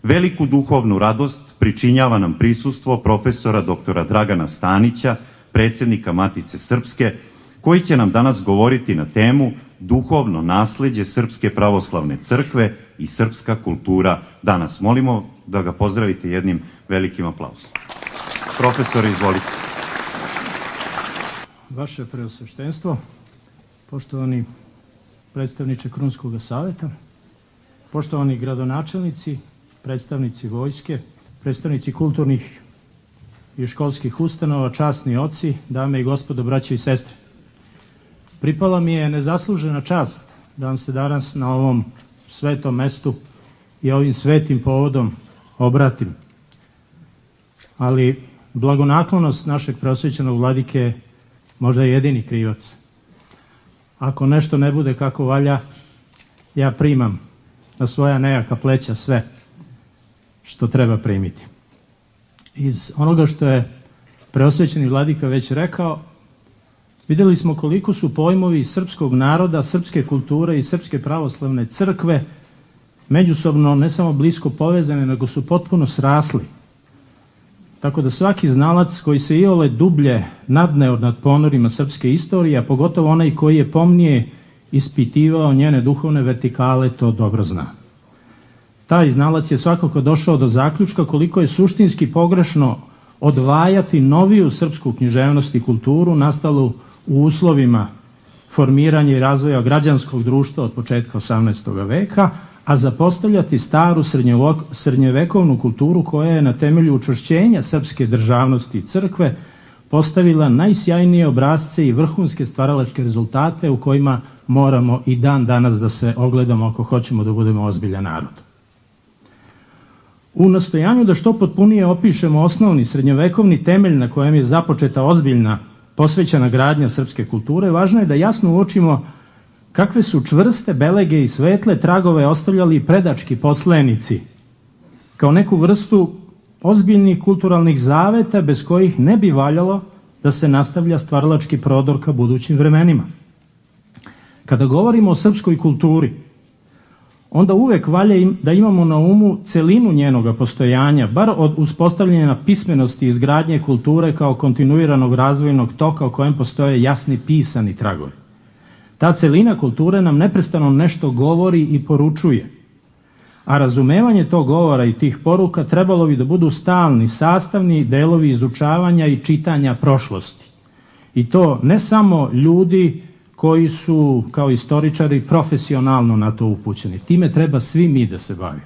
Veliku duhovnu radost pričinjava nam prisustvo profesora doktora Dragana Stanića, predsjednika Matice Srpske, koji će nam danas govoriti na temu Duhovno nasleđe Srpske pravoslavne crkve i srpska kultura danas. Molimo da ga pozdravite jednim velikim aplauzom. Profesore, izvolite. Vaše preosveštenstvo, poštovani predstavniče Krunskog saveta, poštovani gradonačelnici, predstavnici vojske, predstavnici kulturnih i školskih ustanova, časni oci, dame i gospodo, braće i sestre. Pripala mi je nezaslužena čast da vam se danas na ovom svetom mestu i ovim svetim povodom obratim. Ali blagonaklonost našeg preosvećenog vladike možda je jedini krivac. Ako nešto ne bude kako valja, ja primam na svoja nejaka pleća sve što treba primiti. Iz onoga što je preosvećeni vladika već rekao, vidjeli smo koliko su pojmovi srpskog naroda, srpske kulture i srpske pravoslavne crkve međusobno ne samo blisko povezane, nego su potpuno srasli. Tako da svaki znalac koji se iole dublje nadne nad ponorima srpske istorije, a pogotovo onaj koji je pomnije ispitivao njene duhovne vertikale, to dobro zna. Taj znalac je svakako došao do zaključka koliko je suštinski pogrešno odvajati noviju srpsku književnost i kulturu nastalu u uslovima formiranja i razvoja građanskog društva od početka 18. veka, a zapostavljati staru srednjevekovnu kulturu koja je na temelju učvršćenja srpske državnosti i crkve postavila najsjajnije obrazce i vrhunske stvaralačke rezultate u kojima moramo i dan danas da se ogledamo ako hoćemo da budemo ozbiljan narod. U nastojanju da što potpunije opišemo osnovni srednjovekovni temelj na kojem je započeta ozbiljna posvećena gradnja srpske kulture, važno je da jasno uočimo kakve su čvrste belege i svetle tragove ostavljali predački poslenici, kao neku vrstu ozbiljnih kulturalnih zaveta bez kojih ne bi valjalo da se nastavlja stvaralački prodor ka budućim vremenima. Kada govorimo o srpskoj kulturi, onda uvek valja da imamo na umu celinu njenoga postojanja, bar od uspostavljanja pismenosti i izgradnje kulture kao kontinuiranog razvojnog toka o kojem postoje jasni pisani tragovi. Ta celina kulture nam neprestano nešto govori i poručuje, a razumevanje tog govora i tih poruka trebalo bi da budu stalni, sastavni delovi izučavanja i čitanja prošlosti. I to ne samo ljudi koji su kao istoričari profesionalno na to upućeni. Time treba svi mi da se bavimo.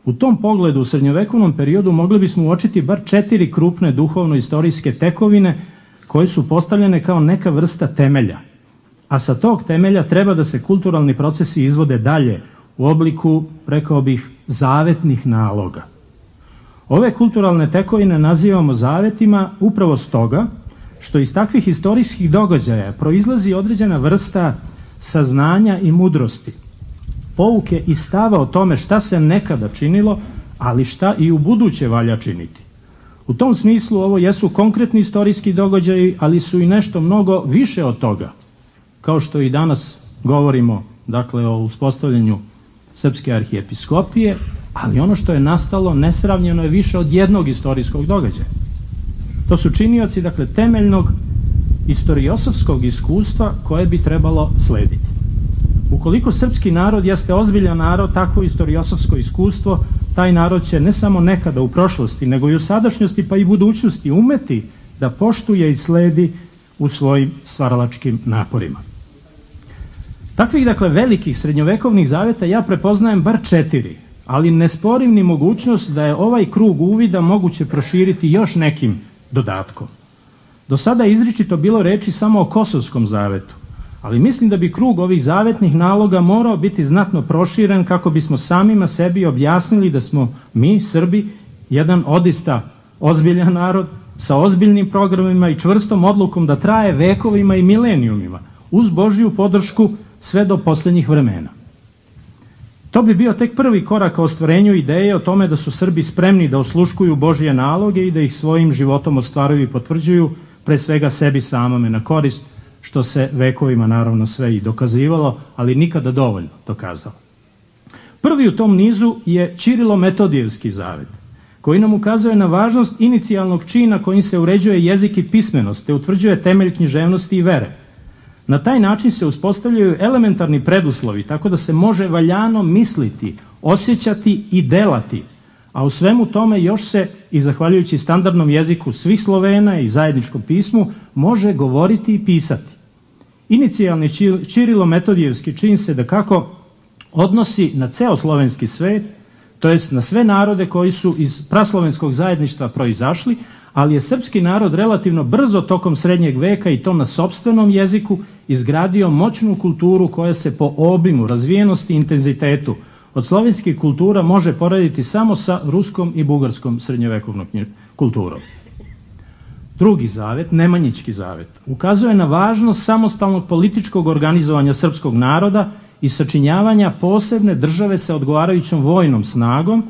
U tom pogledu u srednjovekovnom periodu mogli bismo uočiti bar 4 krupne duhovno-istorijske tekovine koje su postavljene kao neka vrsta temelja. A sa tog temelja treba da se kulturalni procesi izvode dalje u obliku, rekao bih, zavetnih naloga. Ove kulturalne tekovine nazivamo zavetima upravo stoga što iz takvih istorijskih događaja proizlazi određena vrsta saznanja i mudrosti, pouke i stava o tome šta se nekada činilo, ali šta i u buduće valja činiti. U tom smislu ovo jesu konkretni istorijski događaji, ali su i nešto mnogo više od toga, kao što i danas govorimo, dakle, o uspostavljanju Srpske arhijepiskopije, ali ono što je nastalo nesravnjeno je više od jednog istorijskog događaja. To su činioci, dakle, temeljnog istoriosofskog iskustva koje bi trebalo slediti. Ukoliko srpski narod jeste ozbiljan narod, takvo istoriosofsko iskustvo, taj narod će ne samo nekada u prošlosti, nego i u sadašnjosti pa i budućnosti umeti da poštuje i sledi u svojim stvaralačkim naporima. Takvih, dakle, velikih srednjovekovnih zaveta ja prepoznajem bar 4, ali ne sporim ni mogućnost da je ovaj krug uvida moguće proširiti još nekim dodatkom. Do sada je izričito bilo reči samo o Kosovskom zavetu, ali mislim da bi krug ovih zavetnih naloga morao biti znatno proširen kako bismo samima sebi objasnili da smo mi, Srbi, jedan odista ozbiljan narod sa ozbiljnim programima i čvrstom odlukom da traje vekovima i milenijumima, uz Božju podršku sve do posljednjih vremena. To bi bio tek prvi korak ka ostvarenju ideje o tome da su Srbi spremni da osluškuju Božje naloge i da ih svojim životom ostvaruju i potvrđuju, pre svega sebi samome na korist, što se vekovima naravno sve i dokazivalo, ali nikada dovoljno dokazalo. Prvi u tom nizu je Ćirilo-Metodijevski zavet, koji nam ukazuje na važnost inicijalnog čina kojim se uređuje jezik i pismenost, te utvrđuje temelj književnosti i vere. Na taj način se uspostavljaju elementarni preduslovi, tako da se može valjano misliti, osjećati i delati, a u svemu tome još se, i zahvaljujući standardnom jeziku svih Slovena i zajedničkom pismu, može govoriti i pisati. Inicijalni Ćirilo-Metodijevski čin se dakako odnosi na ceo slovenski svet, to jest na sve narode koji su iz praslovenskog zajedništva proizašli, ali je srpski narod relativno brzo tokom srednjeg veka i to na sopstvenom jeziku izgradio moćnu kulturu koja se po obimu, razvijenosti i intenzitetu od slovenskih kultura može porediti samo sa ruskom i bugarskom srednjovekovnom kulturom. Drugi zavet, Nemanjićki zavet, ukazuje na važnost samostalnog političkog organizovanja srpskog naroda i sačinjavanja posebne države sa odgovarajućom vojnom snagom,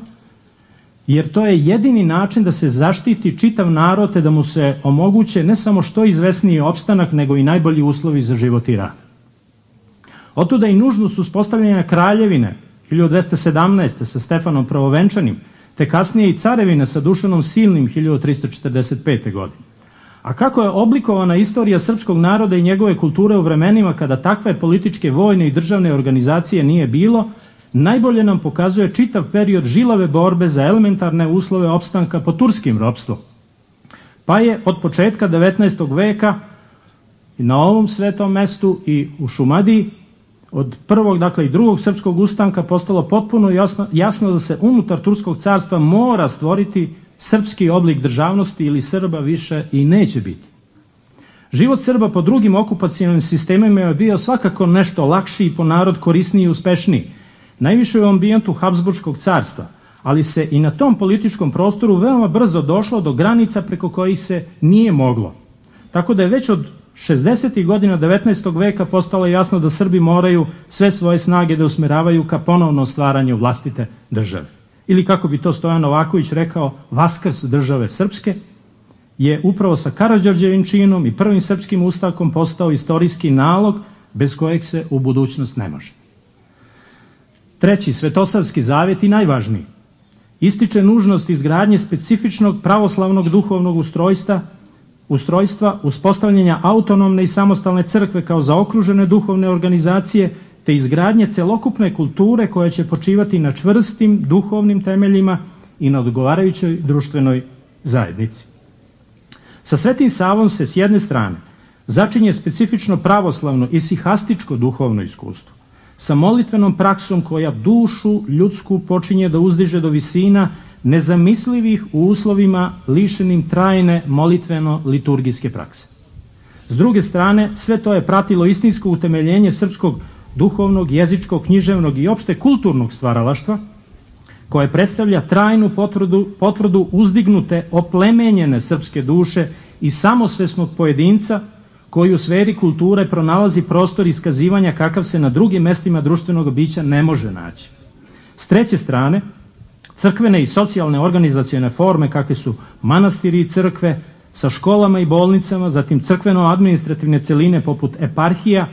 jer to je jedini način da se zaštiti čitav narod te da mu se omoguće ne samo što izvesniji opstanak, nego i najbolji uslovi za život i rad. Otuda i nužnost uspostavljanja kraljevine 1217. sa Stefanom Prvovenčanim, te kasnije i carevine sa Dušanom Silnim 1345. godine. A kako je oblikovana istorija srpskog naroda i njegove kulture u vremenima kada takve političke, vojne i državne organizacije nije bilo, najbolje nam pokazuje čitav period žilave borbe za elementarne uslove opstanka pod turskim ropstvom. Pa je od početka 19. veka na ovom svetom mestu i u Šumadiji od prvog, dakle i drugog srpskog ustanka postalo potpuno jasno da se unutar Turskog carstva mora stvoriti srpski oblik državnosti ili Srba više i neće biti. Život Srba po drugim okupacionalnim sistemima je bio svakako nešto lakši i po narod korisniji i uspešniji, najviše u ambijentu Habsburškog carstva, ali se i na tom političkom prostoru veoma brzo došlo do granica preko kojih se nije moglo. Tako da je već od 60. godina 19. veka postalo jasno da Srbi moraju sve svoje snage da usmeravaju ka ponovnom stvaranju vlastite države. Ili kako bi to Stojan Novaković rekao, vaskrs države srpske je upravo sa Karađorđevim činom i prvim srpskim ustavkom postao istorijski nalog bez kojeg se u budućnost ne može. Treći, Svetosavski zavet i najvažniji, ističe nužnost izgradnje specifičnog pravoslavnog duhovnog ustrojstva, uspostavljanja autonomne i samostalne crkve kao zaokružene duhovne organizacije, te izgradnje celokupne kulture koja će počivati na čvrstim duhovnim temeljima i na odgovarajućoj društvenoj zajednici. Sa Svetim Savom se s jedne strane začinje specifično pravoslavno i sihastičko duhovno iskustvo, sa molitvenom praksom koja dušu ljudsku počinje da uzdiže do visina nezamislivih u uslovima lišenim trajne molitveno-liturgijske prakse. S druge strane, sve to je pratilo istinsko utemeljenje srpskog duhovnog, jezičkog, književnog i opšte kulturnog stvaralaštva, koje predstavlja trajnu potvrdu uzdignute, oplemenjene srpske duše i samosvesnog pojedinca koji u sferi kulture pronalazi prostor iskazivanja kakav se na drugim mestima društvenog bića ne može naći. S treće strane, crkvene i socijalne organizacione forme kakve su manastiri i crkve sa školama i bolnicama, zatim crkveno-administrativne celine poput eparhija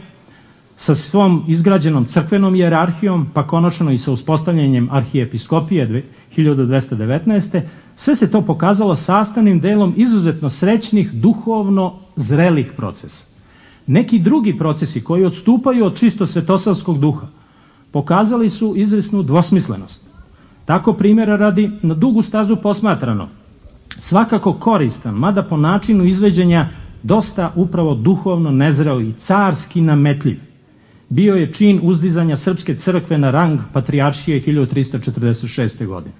sa svom izgrađenom crkvenom hijerarhijom, pa konačno i sa uspostavljanjem arhijepiskopije 1219. Sve se to pokazalo sastavnim delom izuzetno srećnih, duhovno zrelih procesa. Neki drugi procesi koji odstupaju od čisto svetosavskog duha pokazali su izvesnu dvosmislenost. Tako primjera radi, na dugu stazu posmatrano, svakako koristan, mada po načinu izveđenja dosta upravo duhovno nezreo i carski nametljiv, bio je čin uzdizanja Srpske crkve na rang patrijaršije 1346. godine.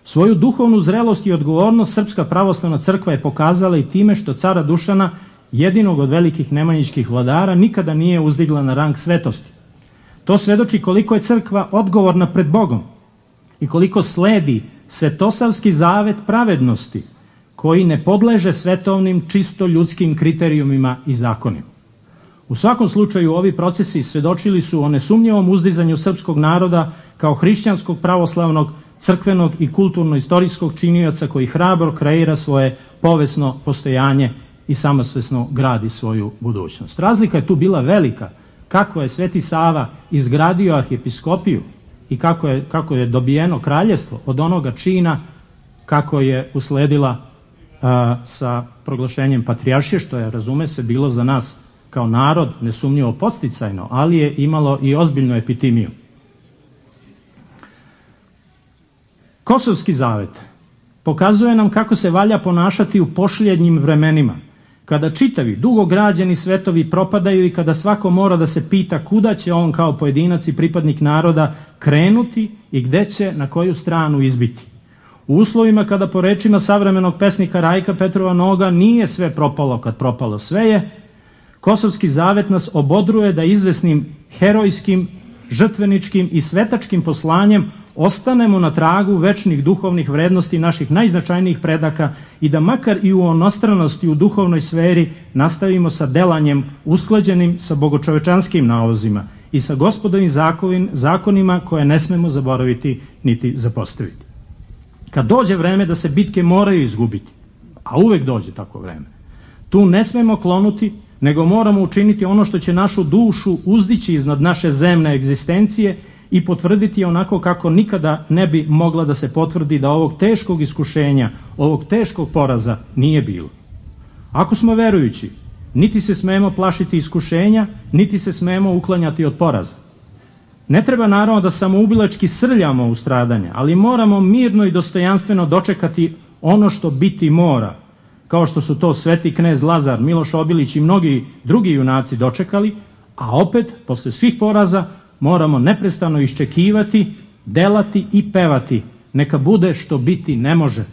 Svoju duhovnu zrelost i odgovornost Srpska pravoslavna crkva je pokazala i time što cara Dušana, jedinog od velikih nemanjićkih vladara, nikada nije uzdigla na rang svetosti. To svedoči koliko je crkva odgovorna pred Bogom i koliko sledi svetosavski zavet pravednosti koji ne podleže svetovnim čisto ljudskim kriterijumima i zakonima. U svakom slučaju ovi procesi svedočili su o nesumnjivom uzdizanju srpskog naroda kao hrišćanskog, pravoslavnog, crkvenog i kulturno-istorijskog činioca koji hrabro kreira svoje povesno postojanje i samosvesno gradi svoju budućnost. Razlika je tu bila velika. Kako je Sveti Sava izgradio arhijepiskopiju i kako je dobijeno kraljevstvo od onoga čina kako je usledila sa proglašenjem patrijaršije, što je, razume se, bilo za nas kao narod nesumnjivo podsticajno, ali je imalo i ozbiljnu epitimiju. Kosovski zavet pokazuje nam kako se valja ponašati u posljednjim vremenima, kada čitavi, dugo građeni svetovi propadaju i kada svako mora da se pita kuda će on kao pojedinac i pripadnik naroda krenuti i gde će na koju stranu izbiti. U uslovima kada, po rečima savremenog pesnika Rajka Petrova Noga, nije sve propalo kad propalo sve je, Kosovski zavet nas obodruje da izvesnim herojskim, žrtveničkim i svetačkim poslanjem ostanemo na tragu večnih duhovnih vrednosti naših najznačajnijih predaka i da makar i u onostranosti u duhovnoj sferi nastavimo sa delanjem usklađenim sa bogočovečanskim nalozima i sa gospodovim zakonima koje ne smemo zaboraviti niti zapostaviti. Kad dođe vreme da se bitke moraju izgubiti, a uvek dođe tako vreme, tu ne smemo klonuti, nego moramo učiniti ono što će našu dušu uzdići iznad naše zemne egzistencije i potvrditi onako kako nikada ne bi mogla da se potvrdi da ovog teškog iskušenja, ovog teškog poraza nije bilo. Ako smo verujući, niti se smemo plašiti iskušenja, niti se smemo uklanjati od poraza. Ne treba naravno da samoubilački srljamo u stradanje, ali moramo mirno i dostojanstveno dočekati ono što biti mora, kao što su to sveti knez Lazar, Miloš Obilić i mnogi drugi junaci dočekali, a opet, posle svih poraza, moramo neprestano iščekivati, delati i pevati, neka bude što biti ne može,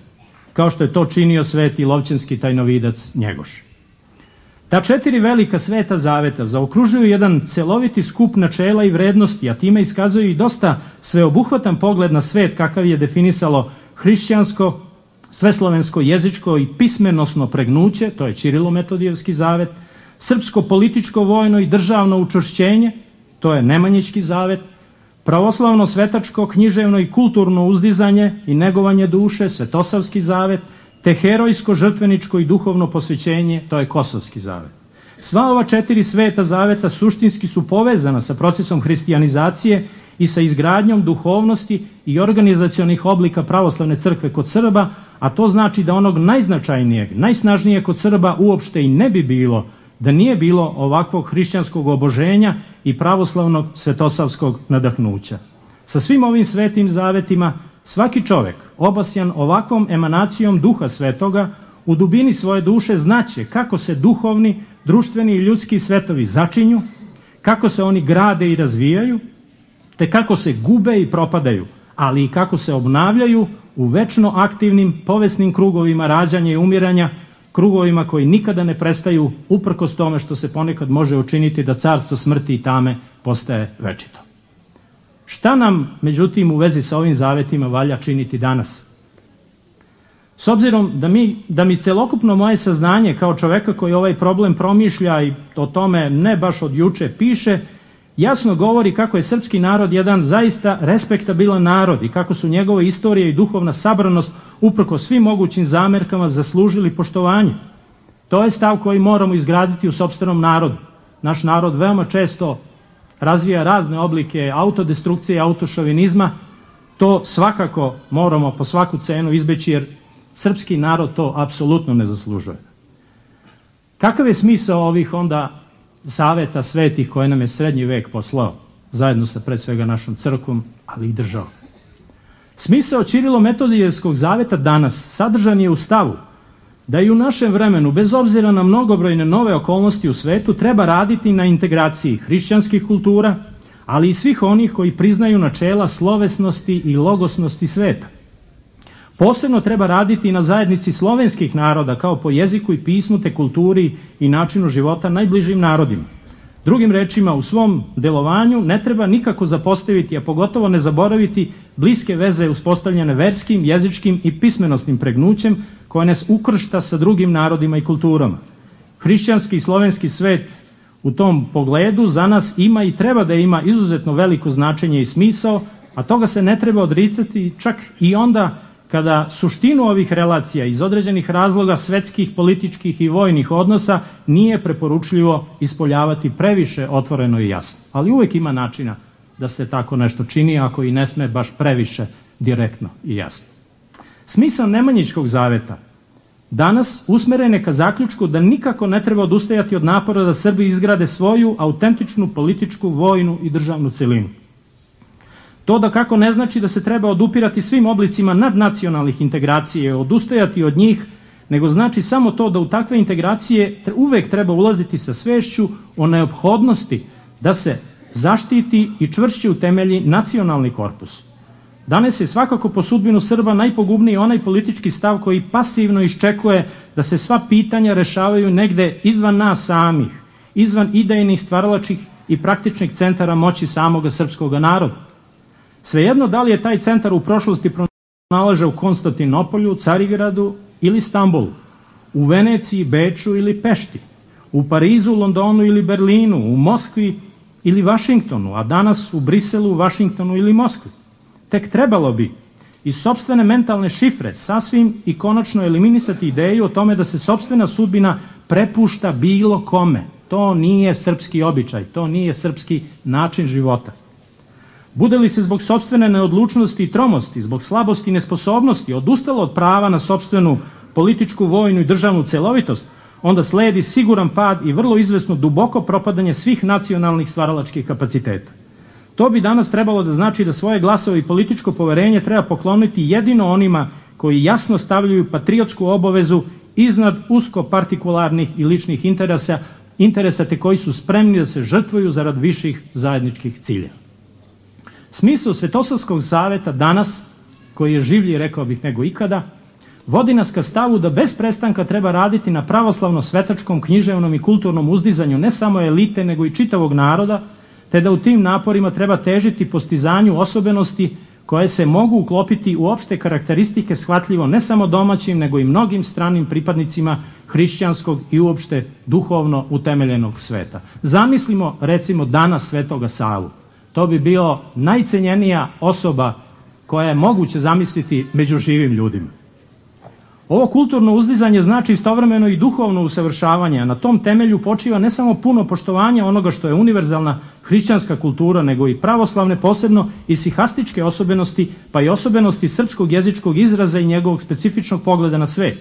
kao što je to činio sveti lovćenski tajnovidac Njegoš. Ta 4 velika sveta zaveta zaokružuju jedan celoviti skup načela i vrednosti, a time iskazuju i dosta sveobuhvatan pogled na svet kakav je definisalo hrišćansko, sveslovensko, jezičko i pismenosno pregnuće, to je Ćirilo-Metodijevski zavet, srpsko političko, vojno i državno učvršćenje, to je Nemanjićki zavet, pravoslavno, svetačko, književno i kulturno uzdizanje i negovanje duše, Svetosavski zavet, te herojsko, žrtveničko i duhovno posvećenje, to je Kosovski zavet. Sva ova 4 sveta zaveta suštinski su povezana sa procesom hrišćanizacije i sa izgradnjom duhovnosti i organizacionih oblika pravoslavne crkve kod Srba, a to znači da onog najznačajnijeg, najsnažnijeg kod Srba uopšte i ne bi bilo da nije bilo ovakvog hrišćanskog oboženja i pravoslavnog svetosavskog nadahnuća. Sa svim ovim svetim zavetima svaki čovek, obasjan ovakvom emanacijom duha svetoga, u dubini svoje duše znaće kako se duhovni, društveni i ljudski svetovi začinju, kako se oni grade i razvijaju, te kako se gube i propadaju, ali i kako se obnavljaju u večno aktivnim povesnim krugovima rađanja i umiranja, krugovima koji nikada ne prestaju, uprkos tome što se ponekad može učiniti da carstvo smrti i tame postaje večito. Šta nam, međutim, u vezi sa ovim zavetima valja činiti danas? S obzirom da mi celokupno moje saznanje kao čoveka koji ovaj problem promišlja i o tome ne baš od juče piše, jasno govori kako je srpski narod jedan zaista respektabilan narod i kako su njegove istorije i duhovna sabranost uprko svim mogućim zamerkama zaslužili poštovanje. To je stav koji moramo izgraditi u sopstvenom narodu. Naš narod veoma često razvija razne oblike autodestrukcije i autošovinizma. To svakako moramo po svaku cenu izbeći jer srpski narod to apsolutno ne zaslužuje. Kakav je smisao ovih onda saveta svetih koje nam je srednji vek poslao, zajedno sa pre svega našom crkvom, ali i državom? Smisao Ćirilo-Metodijevskog zaveta danas sadržan je u stavu da i u našem vremenu, bez obzira na mnogobrojne nove okolnosti u svetu, treba raditi na integraciji hrišćanskih kultura, ali i svih onih koji priznaju načela slovesnosti i logosnosti sveta. Posebno treba raditi na zajednici slovenskih naroda kao po jeziku i pismu te kulturi i načinu života najbližim narodima. Drugim rečima, u svom delovanju ne treba nikako zapostaviti, a pogotovo ne zaboraviti bliske veze uspostavljene verskim, jezičkim i pismenosnim pregnućem koje nas ukršta sa drugim narodima i kulturama. Hrišćanski i slovenski svet u tom pogledu za nas ima i treba da ima izuzetno veliko značenje i smisao, a toga se ne treba odricati čak i onda kada suštinu ovih relacija iz određenih razloga svetskih, političkih i vojnih odnosa nije preporučljivo ispoljavati previše otvoreno i jasno. Ali uvek ima načina da se tako nešto čini, ako i ne sme baš previše direktno i jasno. Smisao Nemanjićkog zaveta danas usmeren je ka zaključku da nikako ne treba odustajati od napora da Srbi izgrade svoju autentičnu političku, vojnu i državnu celinu. To da kako ne znači da se treba odupirati svim oblicima nadnacionalnih integracija, odustajati od njih, nego znači samo to da u takve integracije uvek treba ulaziti sa svešću o neophodnosti da se zaštiti i čvršće utemelji nacionalni korpus. Danas je svakako po sudbinu Srba najpogubniji onaj politički stav koji pasivno iščekuje da se sva pitanja rešavaju negde izvan nas samih, izvan idejnih, stvaralačkih i praktičnih centara moći samoga srpskog naroda. Svejedno da li je taj centar u prošlosti pronalaže u Konstantinopolju, Carigradu ili Stambulu, u Veneciji, Beču ili Pešti, u Parizu, Londonu ili Berlinu, u Moskvi ili Vašingtonu, a danas u Briselu, Vašingtonu ili Moskvi. Tek trebalo bi iz sopstvene mentalne šifre sasvim i konačno eliminisati ideju o tome da se sopstvena sudbina prepušta bilo kome. To nije srpski običaj, to nije srpski način života. Bude li se zbog sopstvene neodlučnosti i tromosti, zbog slabosti i nesposobnosti odustalo od prava na sopstvenu političku, vojnu i državnu celovitost, onda sledi siguran pad i vrlo izvesno duboko propadanje svih nacionalnih stvaralačkih kapaciteta. To bi danas trebalo da znači da svoje glasove i političko poverenje treba pokloniti jedino onima koji jasno stavljaju patriotsku obavezu iznad usko partikularnih i ličnih interesa te koji su spremni da se žrtvuju zarad viših zajedničkih ciljeva. Smisao Svetosavskog zaveta danas, koji je življi, rekao bih, nego ikada, vodi nas ka stavu da bez prestanka treba raditi na pravoslavno-svetačkom, književnom i kulturnom uzdizanju ne samo elite, nego i čitavog naroda, te da u tim naporima treba težiti postizanju osobenosti koje se mogu uklopiti u opšte karakteristike shvatljivo ne samo domaćim, nego i mnogim stranim pripadnicima hrišćanskog i uopšte duhovno utemeljenog sveta. Zamislimo, recimo, danas Svetoga Savu. To bi bilo najcenjenija osoba koja je moguće zamisliti među živim ljudima. Ovo kulturno uzdizanje znači istovremeno i duhovno usavršavanje, a na tom temelju počiva ne samo puno poštovanje onoga što je univerzalna hrišćanska kultura, nego i pravoslavne, posebno i sihastičke osobenosti, pa i osobenosti srpskog jezičkog izraza i njegovog specifičnog pogleda na svet.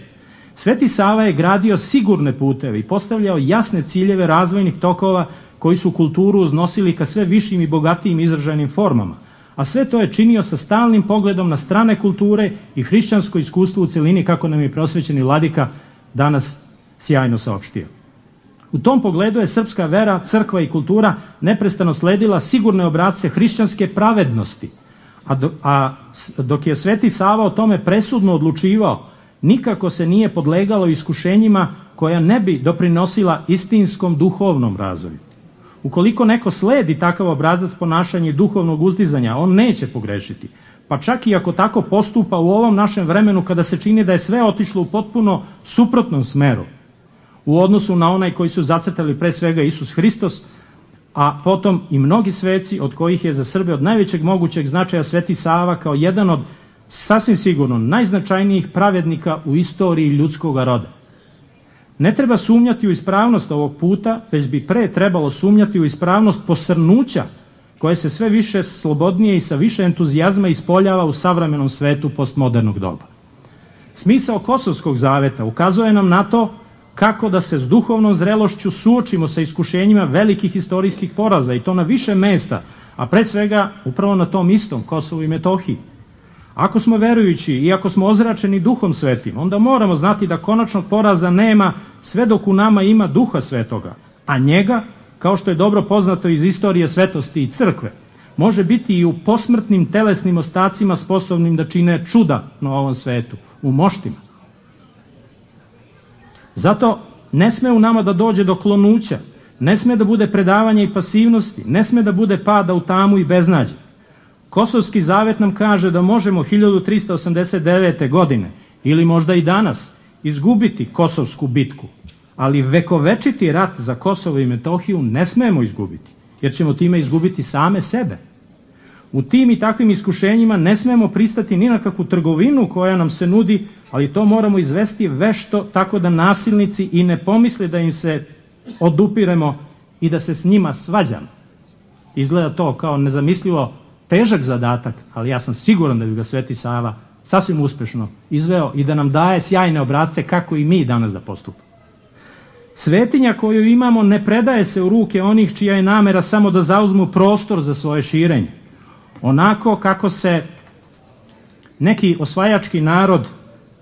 Sveti Sava je gradio sigurne puteve i postavljao jasne ciljeve razvojnih tokova koji su kulturu uznosili ka sve višim i bogatijim izražajnim formama, a sve to je činio sa stalnim pogledom na strane kulture i hrišćansko iskustvo u celini, kako nam je prosvećeni vladika danas sjajno saopštio. U tom pogledu je srpska vera, crkva i kultura neprestano sledila sigurne obrasce hrišćanske pravednosti, a dok je Sveti Sava o tome presudno odlučivao, nikako se nije podlegalo iskušenjima koja ne bi doprinosila istinskom duhovnom razvoju. Ukoliko neko sledi takav obrazac ponašanja i duhovnog uzdizanja, on neće pogrešiti. Pa čak i ako tako postupa u ovom našem vremenu kada se čini da je sve otišlo u potpuno suprotnom smeru u odnosu na onaj koji su zacrtali pre svega Isus Hristos, a potom i mnogi sveci od kojih je za Srbe od najvećeg mogućeg značaja Sveti Sava kao jedan od sasvim sigurno najznačajnijih pravednika u istoriji ljudskog roda. Ne treba sumnjati u ispravnost ovog puta, već bi pre trebalo sumnjati u ispravnost posrnuća koje se sve više slobodnije i sa više entuzijazma ispoljava u savremenom svetu postmodernog doba. Smisao Kosovskog zaveta ukazuje nam na to kako da se s duhovnom zrelošću suočimo sa iskušenjima velikih istorijskih poraza i to na više mesta, a pre svega upravo na tom istom Kosovu i Metohiji. Ako smo verujući i ako smo ozračeni duhom svetim, onda moramo znati da konačnog poraza nema sve dok u nama ima duha svetoga, a njega, kao što je dobro poznato iz istorije svetosti i crkve, može biti i u posmrtnim telesnim ostacima sposobnim da čine čuda na ovom svetu, u moštima. Zato ne sme u nama da dođe do klonuća, ne sme da bude predavanja i pasivnosti, ne sme da bude pada u tamu i beznađe. Kosovski zavet nam kaže da možemo 1389. godine ili možda i danas izgubiti Kosovsku bitku, ali vekovečiti rat za Kosovo i Metohiju ne smemo izgubiti, jer ćemo time izgubiti same sebe. U tim i takvim iskušenjima ne smemo pristati ni na kakvu trgovinu koja nam se nudi, ali to moramo izvesti vešto tako da nasilnici i ne pomisle da im se odupiremo i da se s njima svađamo. Izgleda to kao nezamislivo težak zadatak, ali ja sam siguran da bi ga Sveti Sava sasvim uspešno izveo i da nam daje sjajne obrazce kako i mi danas da postupamo. Svetinja koju imamo ne predaje se u ruke onih čija je namera samo da zauzmu prostor za svoje širenje. Onako kako se neki osvajački narod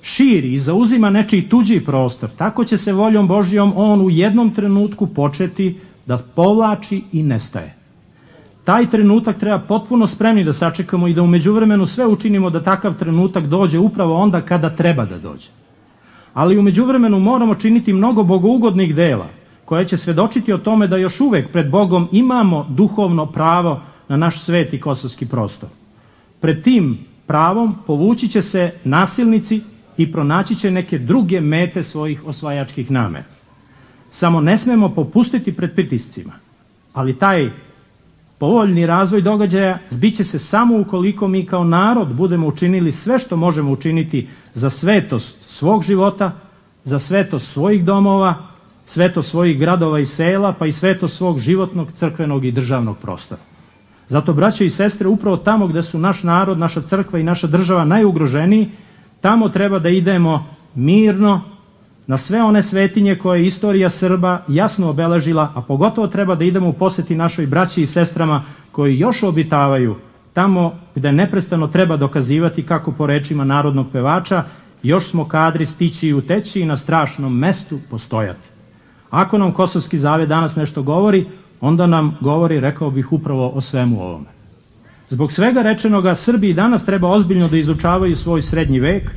širi i zauzima nečiji tuđi prostor, tako će se voljom Božjom on u jednom trenutku početi da povlači i nestaje. Taj trenutak treba potpuno spremni da sačekamo i da u međuvremenu sve učinimo da takav trenutak dođe upravo onda kada treba da dođe. Ali u međuvremenu moramo činiti mnogo bogougodnih dela koje će svedočiti o tome da još uvek pred Bogom imamo duhovno pravo na naš sveti kosovski prostor. Pred tim pravom povući će se nasilnici i pronaći će neke druge mete svojih osvajačkih namera. Samo ne smemo popustiti pred pritiscima, ali taj povoljni razvoj događaja zbiće se samo ukoliko mi kao narod budemo učinili sve što možemo učiniti za svetost svog života, za svetost svojih domova, svetost svojih gradova i sela, pa i svetost svog životnog, crkvenog i državnog prostora. Zato, braćo i sestre, upravo tamo gde su naš narod, naša crkva i naša država najugroženiji, tamo treba da idemo mirno na sve one svetinje koje je istorija Srba jasno obeležila, a pogotovo treba da idemo u poseti našoj braći i sestrama koji još obitavaju tamo gde neprestano treba dokazivati kako po rečima narodnog pevača još smo kadri stići i uteći i na strašnom mestu postojati. Ako nam Kosovski zavet danas nešto govori, onda nam govori, rekao bih, upravo o svemu ovome. Zbog svega rečenoga, Srbi i danas treba ozbiljno da izučavaju svoj srednji vek,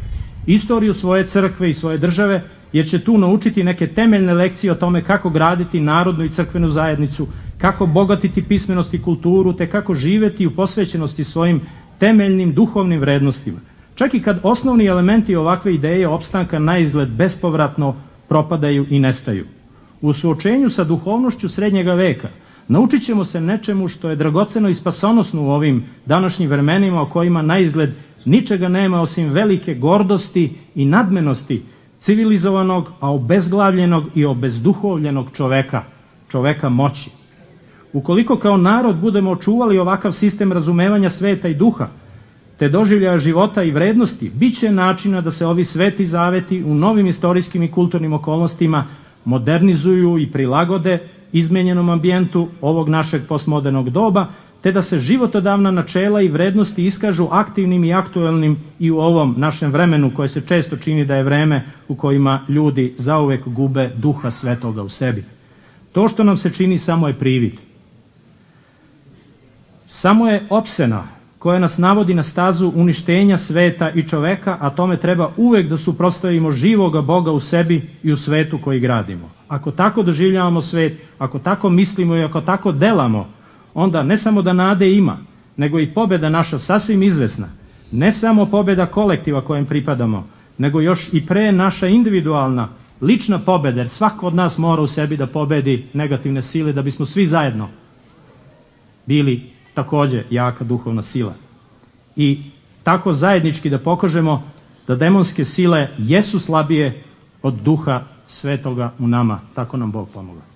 istoriju svoje crkve i svoje države, jer će tu naučiti neke temeljne lekcije o tome kako graditi narodnu i crkvenu zajednicu, kako bogatiti pismenost i kulturu, te kako živeti u posvećenosti svojim temeljnim duhovnim vrednostima. Čak i kad osnovni elementi ovakve ideje opstanka na izgled bespovratno propadaju i nestaju. U suočenju sa duhovnošću srednjega veka naučit ćemo se nečemu što je dragoceno i spasonosno u ovim današnjim vremenima o kojima na izgled ničega nema osim velike gordosti i nadmenosti civilizovanog, a obezglavljenog i obezduhovljenog čoveka moći. Ukoliko kao narod budemo očuvali ovakav sistem razumevanja sveta i duha, te doživljaja života i vrednosti, bit će načina da se ovi sveti zaveti u novim istorijskim i kulturnim okolnostima modernizuju i prilagode izmenjenom ambijentu ovog našeg postmodernog doba, te da se životodavna načela i vrednosti iskažu aktivnim i aktuelnim i u ovom našem vremenu koje se često čini da je vreme u kojima ljudi zauvek gube duha svetoga u sebi. To što nam se čini samo je privid. Samo je opsena koja nas navodi na stazu uništenja sveta i čoveka, a tome treba uvek da suprotstavimo živoga Boga u sebi i u svetu koji gradimo. Ako tako doživljavamo svet, ako tako mislimo i ako tako delamo, onda ne samo da nade ima, nego i pobeda naša sasvim izvesna. Ne samo pobeda kolektiva kojem pripadamo, nego još i pre naša individualna, lična pobeda, jer svako od nas mora u sebi da pobedi negativne sile da bismo svi zajedno bili takođe jaka duhovna sila. I tako zajednički da pokažemo da demonske sile jesu slabije od duha svetoga u nama. Tako nam Bog pomoga.